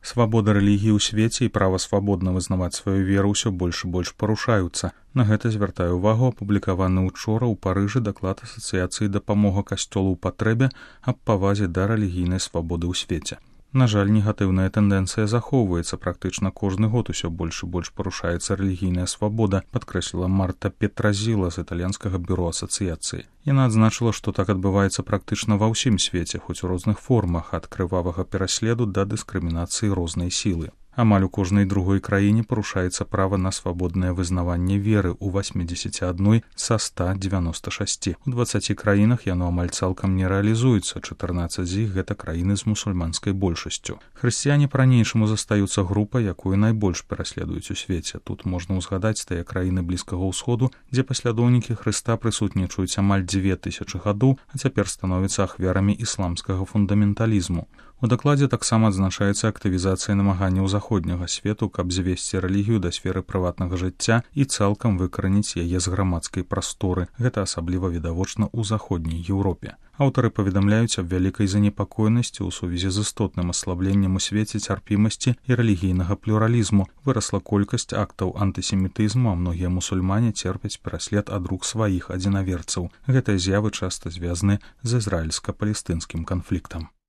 Свабода рэлігіі ў свеце і права свабодна вызнаваць сваю веру ўсё больш і больш парушаюцца. На гэта звяртае ўвагу апублікаваны ўчора ў Парыжы даклад асацыяцыі дапамога касцёлу ў патрэбе аб павазе да рэлігійнай свабоды ў свеце. На жаль, негатыўная тэндэнцыя захоўваецца. Практычна кожны год усё больш і больш парушаецца рэлігійная свабода, падкрэсліла Марта Петразіла з італьянскага бюро асацыяцыі. Яна адзначыла, што так адбываецца практычна ва ўсім свеце, хоць у розных формах, ад крывавага пераследу да дыскрымінацыі рознай сілы. Амаль у кожнай другой краіне парушаецца права на свабоднае вызнаванне веры ў 81 са 196. У 20 краінах яно амаль цалкам не рэалізуецца, 14 з іх гэта краіны з мусульманскай большасцю. Хрысціяне па-ранейшаму застаюцца групай, якую найбольш пераследуюць у свеце. Тут можна ўзгадаць тыя краіны Блізкага ўсходу, дзе паслядоўнікі Хрыста прысутнічаюць амаль 2000 гадоў, а цяпер становяцца ахвярамі ісламскага фундаменталізму. У дакладзе таксама адзначаецца актывізацыя намаганняў заходняга свету, каб звесці рэлігію да сферы прыватнага жыцця і цалкам выкараніць яе з грамадскай прасторы. Гэта асабліва відавочна ў заходняй Еўропе. Аўтары паведамляюць аб вялікай занепакоенасці ў сувязі з істотным аслабленнем у свеце цярпімасці і рэлігійнага плюралізму. Вырасла колькасць актаў антысемітызму, а многія мусульмане церпяць пераслед ад рук сваіх адзінаверцаў. Гэтыя з'явы часта звязаны з ізраільска-палестынскім канфліктам.